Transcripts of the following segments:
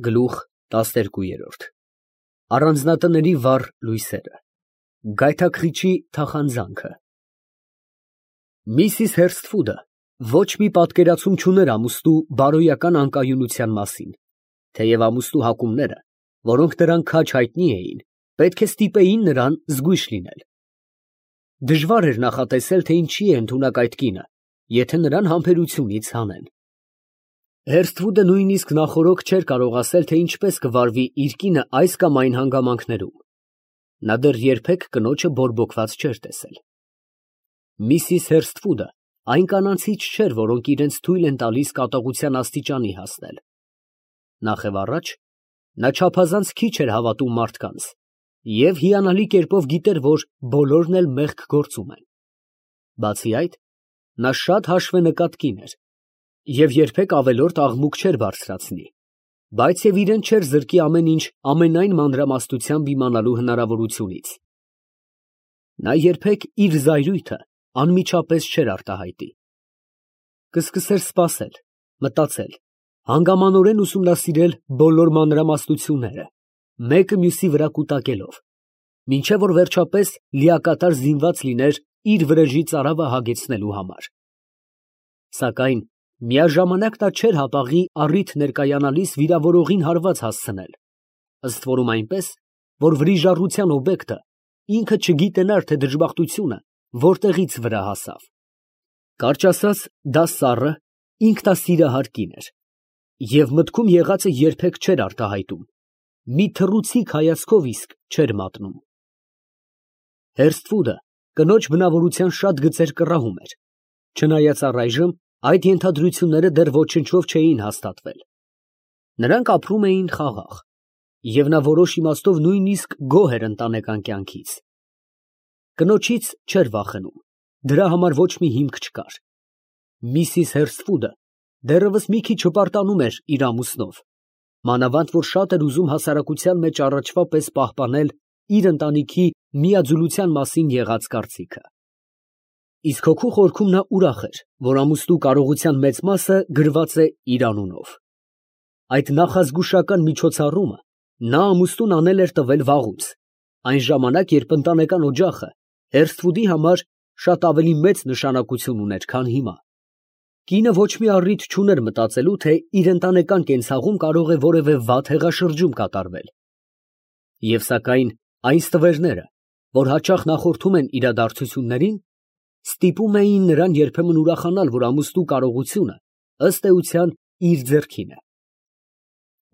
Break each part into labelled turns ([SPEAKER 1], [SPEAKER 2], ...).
[SPEAKER 1] Գլուխ 12 Առանձնատների վառ լույսերը, գայթակղիչի թախանձանքը։ Միսիս Հերսթվուդը ոչ մի պատկերացում չուներ ամուսնու բարոյական անկայունության մասին, թեև ամուսնու հակումները, որոնք նրան քաջ հայտնի էին, պետք է ստիպեին նրան զգույշ լինել։ Դժվար էր նախատեսել, թե ինչի է ընդունակ այդ կինը, եթե նրան համբերությունից հանեն։ Հերսթվուդը նույնիսկ նախօրոք չէր կարող ասել, թե ինչպես կվարվի իր կինը այս կամ այն հանգամանքներում։ Նա դեռ երբեք կնոջը բորբոքված չէր տեսել։ Միսիս Հերսթվուդը այն կանանցից չէր, որոնք իրենց թույլ են տալիս կատաղության աստիճանի հասնել։ Նախ և առաջ, նա չափազանց քիչ էր հավատում մարդկանց և հիանալի կերպով գիտեր, որ բոլորն էլ մեղք գործում են։ Բացի այդ, նա շատ հաշվենկատ կին էր և երբեք ավելորդ աղմուկ չէր բարձրացնի, բայց և իրեն չէր զրկի ամեն ինչ ամենայն մանրամասնությամբ իմանալու հնարավորությունից։ Նա երբեք իր զայրույթը անմիջապես չէր արտահայտի։ Կսկսեր սպասել, մտածել, հանգամանորեն ուսումնասիրել բոլոր մանրամասնությունները, մեկը մյուսի վրա կուտակելով, մինչև որ վերջապես լիակատար զինված լիներ իր վրեժի ծարավը հագեցնելու համար։ Սակայն միաժամանակ նա չէր հապաղի առիթ ներկայանալիս վիրավորողին հարված հասցնել, ըստ որում այնպես, որ վրիժառության օբյեկտը ինքը չգիտենար, թե դժբախտությունը որտեղից վրա հասավ։ Կարճ ասած, դա սառը, ինքնասիրահար կին էր, և մտքում եղածը երբեք չէր արտահայտում, մի թռուցիկ հայացքով իսկ չէր մատնում։ Հերսթվուդը կնոջ բնավորության շատ գծեր կռահում էր, չնայած առայժմ այդ ենթադրությունները դեռ ոչնչով չէին հաստատվել։ Նրանք ապրում էին խաղաղ, և նա որոշ իմաստով նույնիսկ գոհ էր ընտանեկան կյանքից։ Կնոջից չէր վախենում, դրա համար ոչ մի հիմք չկար։ Միսիս Հերսթվուդը դեռևս մի քիչ հպարտանում էր իր ամուսնով, մանավանդ որ շատ էր ուզում հասարակության մեջ առաջվա պես պահպանել իր ընտանիքի միաձուլության մասին եղած կարծիքը։ Իսկ հոգու խորքում նա ուրախ էր, որ ամուսնու կարողության մեծ մասը գրված է իր անունով։ Այդ նախազգուշական միջոցառումը նա ամուսնուն անել էր տվել վաղուց, այն ժամանակ, երբ ընտանեկան օջախը Հերսթվուդի համար շատ ավելի մեծ նշանակություն ուներ, քան հիմա։ Կինը ոչ մի առիթ չուներ մտածելու, թե իր ընտանեկան կենցաղում կարող է որևէ վատ հեղաշրջում կատարվել։ Եվ սակայն այն ստվերները, որ հաճախ նախորդում են իրադարձություններին, ստիպում էին նրան երբեմն ուրախանալ, որ ամուսնու կարողությունը ըստ էության իր ձեռքին է։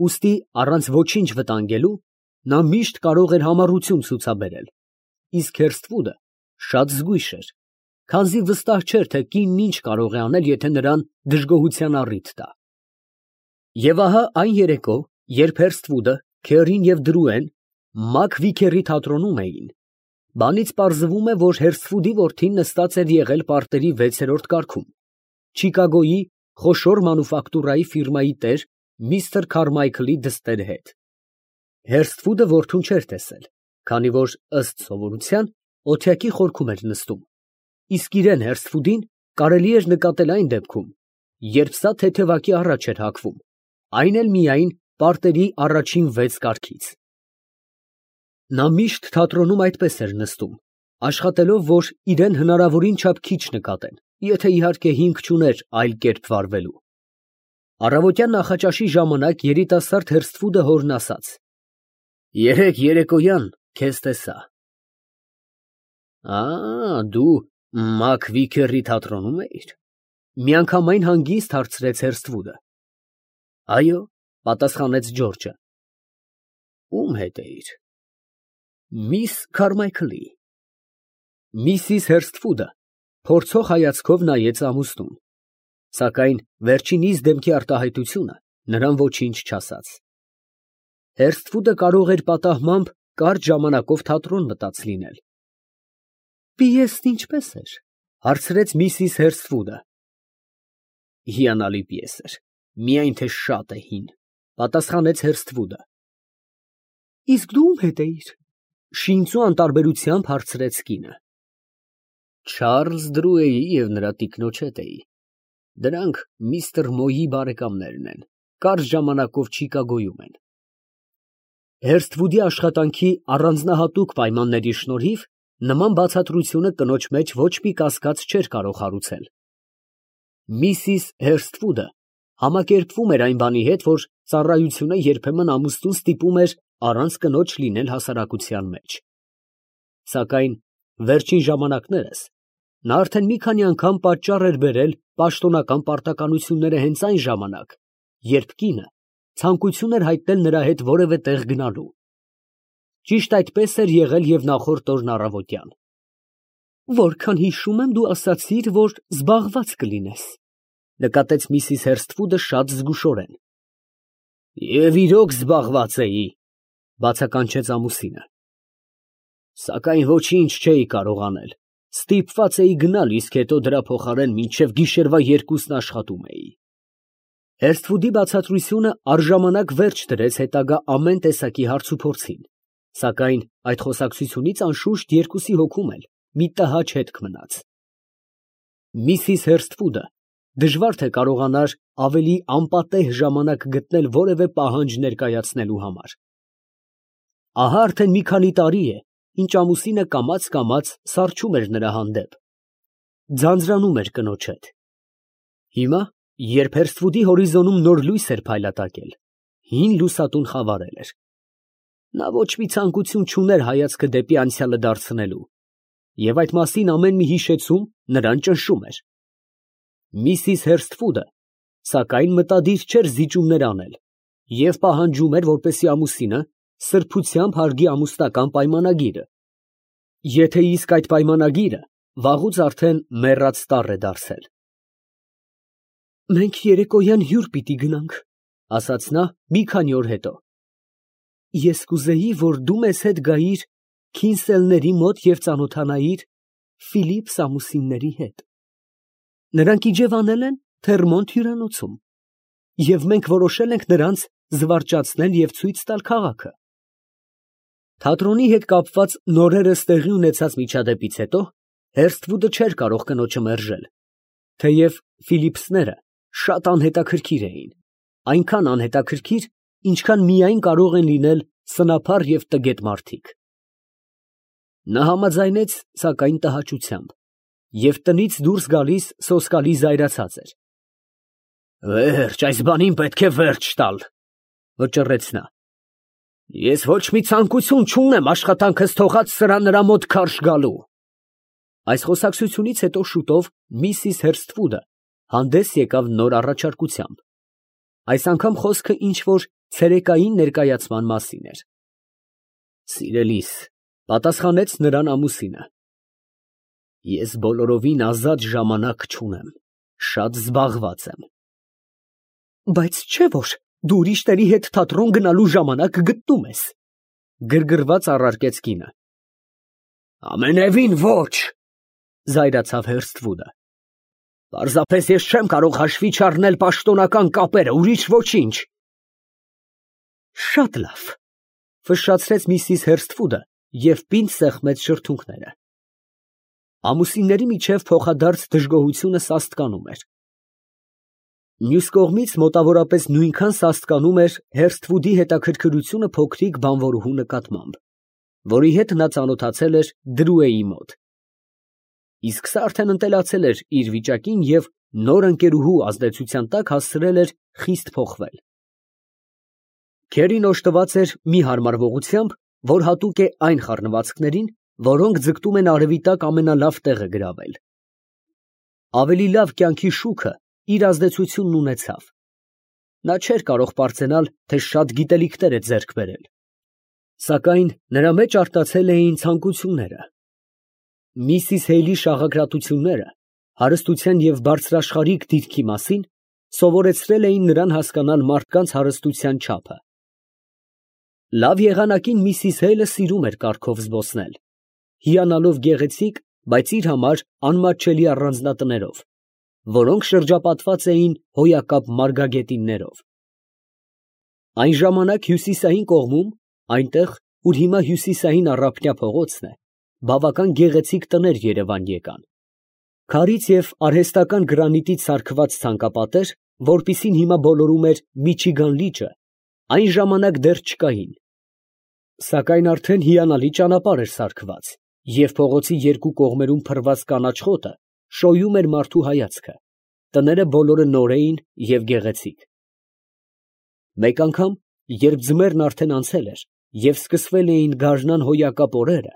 [SPEAKER 1] Ուստի առանց ոչինչ վտանգելու նա միշտ կարող էր համառություն ցուցաբերել, իսկ Հերսթվուդը շատ զգույշ էր, քանզի վստահ չէր, թե կինն ինչ կարող է անել, եթե նրան դժգոհության առիթ տա։ Եվ ահա այն երեկո, երբ Հերսթվուդը, Քերին և Դրուեն Մակ Վիքերի թատրոնում էին, բանից պարզվում է, որ Հերսթվուդի որդին նստած էր եղել պարտերի 6-րդ կարգում, Չիկագոյի խոշոր մանուֆակտուրայի ֆիրմայի տեր Միսթր Քարմայքլի դստեր հետ։ Հերսթվուդը որդուն չէր տեսել, քանի որ ըստ սովորության օթյակի խորքում էր նստում, իսկ իրեն Հերսթվուդին կարելի էր նկատել այն դեպքում, երբ սա թեթևակի առաջ էր հագվում, այն էլ միայն պարտերի առաջին 6 կարգից։ Նա միշտ թատրոնում այդպես էր նստում, աշխատելով, որ իրեն հնարավորին չափ քիչ նկատեն, եթե իհարկե հիմք չուներ այլ կերպ վարվելու։ Առավոտյան նախաճաշի ժամանակ երիտասարդ Հերսթվուդը հորն ասաց. «Երեկ երեկոյան քեզ տեսա»։ Դու Մակ Վիքերի թատրոնում էիր։ Միանգամայն հանգիստ հարցրեց Հերսթվուդը։ Այո, պատասխանեց Ջորջը։ Ում հետ էիր։ Միս Քարմայքլի։ Միսիս Հերսթվուդը փորձող հայացքով նայեց ամուսնուն, սակայն վերջինիս դեմքի արտահայտությունը նրան ոչինչ չասաց։ Հերսթվուդը կարող էր պատահմամբ կարճ ժամանակով թատրոն մտած լինել։ Պիեսն ինչպե՞ս էր, հարցրեց միսիս Հերսթվուդը։ Հիանալի պիես էր, միայն թե շատ է հին, պատասխանեց Հերսթվուդը։ Իսկ դու ում հետ էիր, շինծու անտարբերությամբ հարցրեց կինը։ Չարլզ Դրուեի և նրա տիկնոջ հետ էի։ Դրանք միստր Մոյի բարեկամներն են, կարճ ժամանակով Չիկագոյում են։ Հերսթվուդի աշխատանքի առանձնահատուկ պայմանների շնորհիվ նման բացատրությունը կնոջ մեջ ոչ մի կասկած չէր կարող հարուցել։ Միսիս Հերսթվուդը համակերպվում էր այն բանի հետ, որ ծառայությունը երբեմն ամուսնուն ստիպում էր առանց կնոջ լինել հասարակության մեջ։ Սակայն վերջին ժամանակներս նա արդեն մի քանի անգամ պատճառ էր բերել պաշտոնական պարտականությունները հենց այն ժամանակ, երբ կինը ցանկություն էր հայտնել նրա հետ որևէ տեղ գնալու։ Ճիշտ այդպես էր եղել և նախորդ օրն առավոտյան։ «Որքան հիշում եմ, դու ասացիր, որ զբաղված կլինես», նկատեց միսիս Հերսթվուդը շատ զգուշորեն։ «Եվ իրոք զբաղված էի», բացականչեց ամուսինը։ «Սակայն ոչինչ չէի կարող անել, ստիպված էի գնալ, իսկ հետո դրա փոխարեն մինչև գիշերվա 2-ն աշխատում էի»։ Հերսթվուդի բացատրությունը առժամանակ վերջ դրեց հետագա ամեն տեսակի հարցուփորձին, սակայն այդ խոսակցությունից անշուշտ երկուսի հոգում էլ մի տհաճ հետք մնաց։ Միսիս Հերսթվուդը դժվար թե կարողանար ավելի անպատեհ ժամանակ գտնել որևէ պահանջ ներկայացնելու համար։ Ահա արդեն մի քանի տարի է, ինչ ամուսինը կամաց սառչում էր նրա հանդեպ, ձանձրանում էր կնոջ հետ։ Հիմա, երբ Հերսթվուդի հորիզոնում նոր լույս էր փայլատակել, հին լուսատուն խավարել էր։ Նա ոչ մի ցանկություն չուներ հայացքը դեպի անցյալը դարձնելու, և այդ մասին ամեն մի հիշեցում նրան ճնշում էր։ Միսիս Հերսթվուդը, սակայն մտադիր չէր զիջումներ անել և պահանջում էր, որպեսզի ամուսինը սրբությամբ հարգի ամուսնական պայմանագիրը, եթե իսկ այդ պայմանագիրը վաղուց արդեն մեռած տառ է դարձել։ «Մենք երեկոյան հյուր պիտի գնանք», ասաց նա մի քանի օր հետո։ «Ես կուզեի, որ դու մեզ հետ գայիր Քինսելների մոտ և ծանոթանայիր Ֆիլիպս ամուսինների հետ։ Նրանք իջևանել են Թերմոնտ հյուրանոցում, և մենք որոշել ենք նրանց զվարճացնել և ցույց տալ քաղաքը»։ Թատրոնի հետ կապված նորերս տեղի ունեցած միջադեպից հետո Հերսթվուդը չէր կարող կնոջը մերժել, թեև Ֆիլիպսները շատ անհետաքրքիր էին, այնքան անհետաքրքիր, ինչքան միայն կարող են լինել սնափառ և տգետ մարդիկ։ Նա համաձայնեց, սակայն տհաճությամբ, և տնից դուրս գալիս սոսկալի զայրացած էր։ «Վերջ, այս բանին պետք է վերջ տալ», վճռեց նա։ «Ես ոչ մի ցանկություն չունեմ աշխատանքս թողած նրա մոտ քարշ գալու»։ Այս խոսակցությունից հետո շուտով միսիս Հերսթվուդը հանդես եկավ նոր առաջարկությամբ։ Այս անգամ խոսքը ինչ֊որ ցերեկային ներկայացման մասին էր։ «Սիրելիս», պատասխանեց նրան ամուսինը, «ես բոլորովին ազատ ժամանակ չունեմ, շատ զբաղված եմ»։ «Բայց չէ՞ որ դու ուրիշների հետ թատրոն գնալու ժամանակ գտնում ես», գրգռված առարկեց կինը։ «Ամենևին ոչ», զայրացավ Հերսթվուդը։ «Պարզապես ես չեմ կարող հաշվի չառնել պաշտոնական կապերը, ուրիշ ոչինչ»։ «Շատ լավ», ֆշշացրեց միսիս Հերսթվուդը և պինդ սեղմեց շրթունքները։ Ամուսինների միջև փոխադարձ դժգոհությունը սաստկանում էր։ Մյուս կողմից մոտավորապես նույնքան սաստկանում էր Հերսթվուդի հետաքրքրությունը փոքրիկ բանվորուհու նկատմամբ, որի հետ նա ծանոթացել էր Դրուեի մոտ։ Իսկ սա արդեն ընտելացել էր իր վիճակին և նոր ընկերուհու ազդեցության տակ հասցրել էր խիստ փոխվել։ Քերին օժտված էր մի հարմարվողությամբ, որ հատուկ է այն խառնվածքներին, որոնք ձգտում են արևի տակ ամենալավ տեղը գրավել։ Ավելի լավ կյանքի շուքը իր ազդեցությունն ունեցավ։ Նա չէր կարող պարծենալ, թե շատ գիտելիքներ է ձեռք բերել, սակայն նրա մեջ արտացել էին ցանկությունները։ Միսիս Հեյլի շաղակրատությունները հարստության և բարձրաշխարհիկ դիրքի մասին սովորեցրել էին նրան հասկանալ մարդկանց հարստության չափը։ Լավ եղանակին միսիս Հեյլը սիրում էր կառքով զբոսնել, հիանալով գեղեցիկ, բայց իր համար անմատչելի առանձնատներով, որոնք շրջապատված էին հոյակապ մարգագետիններով։ Այն ժամանակ հյուսիսային կողմում, այնտեղ, ուր հիմա հյուսիսային Առափնյա փողոցն է, բավական գեղեցիկ տներ երևան եկան։ Քարից և արհեստական գրանիտից սարքված ցանկապատեր, որպիսին հիմա բոլորում էր Միչիգան լիճը, այն ժամանակ դեռ չկային։ Սակայն արդեն հիանալի ճանապարհ էր սարքված, և փողոցի երկու կողմերում փռված կանաչ խոտը շոյում էր մարդու հայացքը, տները բոլորը նոր էին և գեղեցիկ։ Մեկ անգամ, երբ ձմեռն արդեն անցել էր և սկսվել էին գարնան հոյակապ օրերը,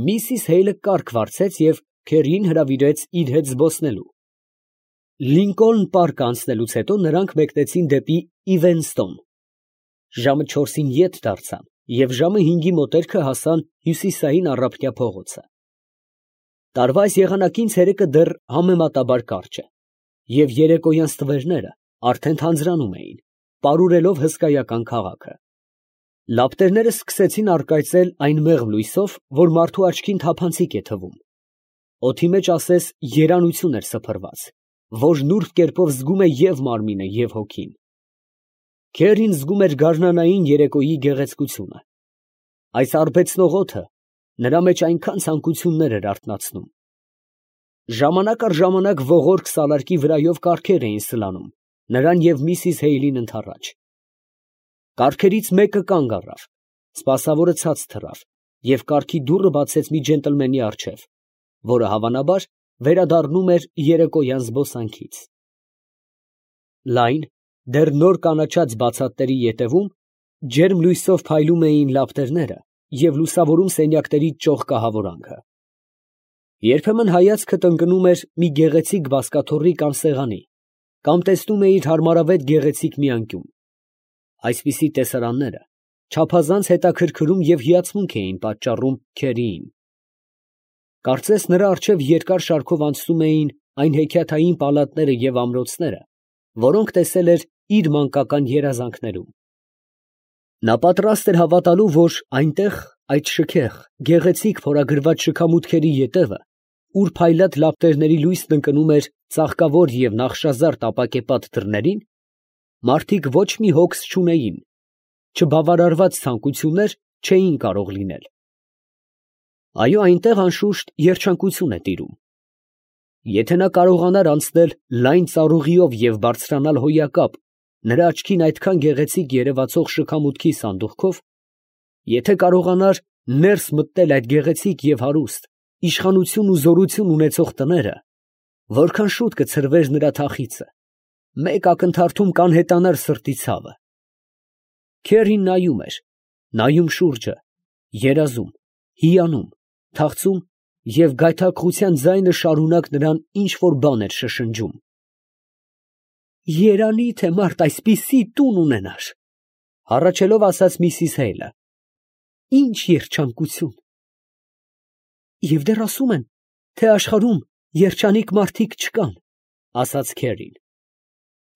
[SPEAKER 1] միսիս Հեյլը կառք վարձեց և քերին հրավիրեց իր հետ զբոսնելու։ Լինկոլն պարկը անցնելուց հետո նրանք մեկնեցին դեպի Իվենստոն։ Ժամը 4-ին ետ դարձան և ժամը 5-ի մոտերքը հասան հյուսիսային առափնյա փողոցը։ Տարվա այս եղանակին ցերեկը դեռ համեմատաբար կարճ է, և երեկոյան ստվերները արդեն թանձրանում էին, պարուրելով հսկայական քաղաքը։ Լապտերները սկսեցին առկայծել այն մեղմ լույսով, որ մարդու աչքին թափանցիկ է թվում։ Օդի մեջ ասես երանություն էր սփռված, որ նուրբ կերպով զգում է և մարմինը, և հոգին։ Քերին զգում էր գարնանային երեկոյի գեղեցկությունը։ Այս արբեցնող օդը նրա մեջ այնքան ցանկություններ էր արթնացնում։ Ժամանակ առ ժամանակ ողորկ սալարկի վրայով կառքեր էին սլանում նրան և միսիս Հեյլին ընդառաջ։ Կառքերից մեկը կանգ առավ, սպասավորը ցած թռավ և կառքի դուռը բացեց մի ջենտլմենի առջև, որը հավանաբար վերադառնում էր երեկոյան զբոսանքից։ Լայն, դեռ նոր կանաչած բացատների ետևում ջերմ լույսով փայլում էին լապտերները և լուսավորում սենյակների ճոխ կահավորանքը։ Երբեմն հայացքդ ընկնում էր մի գեղեցիկ բազկաթոռի կամ սեղանի, կամ տեսնում էիր հարմարավետ գեղեցիկ մի անկյուն։ Այսպիսի տեսարանները չափազանց հետաքրքրում և հիացմունք էին պատճառում Քերիին։ Կարծես նրա առջև երկար շարքով անցնում էին այն հեքիաթային պալատները և ամրոցները, որոնք տեսել էր իր մանկական երազանքներում։ Նա պատրաստ էր հավատալու, որ այնտեղ, այդ շքեղ, գեղեցիկ փորագրված շքամուտքերի ետևը, ուր փայլատ լապտերների լույսն ընկնում էր ծաղկավոր և նախշազարդ ապակեպատ դռներին, մարդիկ ոչ մի հոգս չունեին, չբավարարված ցանկություններ չէին կարող լինել։ Այո, այնտեղ անշուշտ երջանկություն է տիրում։ Եթե նա կարողանար անցնել լայն ծառուղիով և բարձրանալ հոյակապ նրա աչքին այդքան գեղեցիկ երևացող շքամուտքի սանդուղքով, եթե կարողանար ներս մտնել այդ գեղեցիկ և հարուստ, իշխանություն ու զորություն ունեցող տները, որքան շուտ կցրվեր նրա թախիծը, մեկ ակնթարթում կանհետանար սրտի ցավը։ Քերին նայում շուրջը, երազում, հիանում, թախծում և գայթակղության ձայնը շարունակ նրան ինչ֊որ բան էր շշնջում։ «Երանի՜ թե մարդ այսպիսի տուն ունենար, ֊ հառաչելով ասաց միսիս Հեյլը, ֊ ի՜նչ երջանկություն։ Եվ դեռ ասում են, թե աշխարհում երջանիկ մարդիկ չկան, ֊ ասաց Քերին։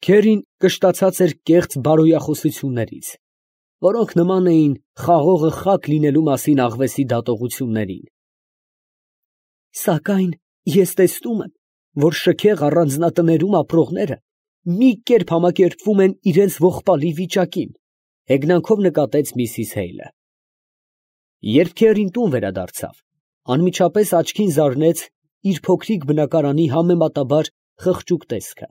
[SPEAKER 1] Քերին կշտացած էր կեղծ բարոյախոսություններից, որոնք նման էին խաղողը խաք լինելու մասին աղվեսի դատողություններին։ Սակայն ես տեսնում եմ, որ շքեղ առանձնատներում ապրողները մի կերպ համակերպվում են իրենց ողբալի վիճակին, ֊ հեգնանքով նկատեց միսիս Հեյլը։ Երբ Քերին տուն վերադարձավ, անմիջապես աչքին զարնեց իր փոքրիկ բնակարանի համեմատաբար խղճուկ տեսքը։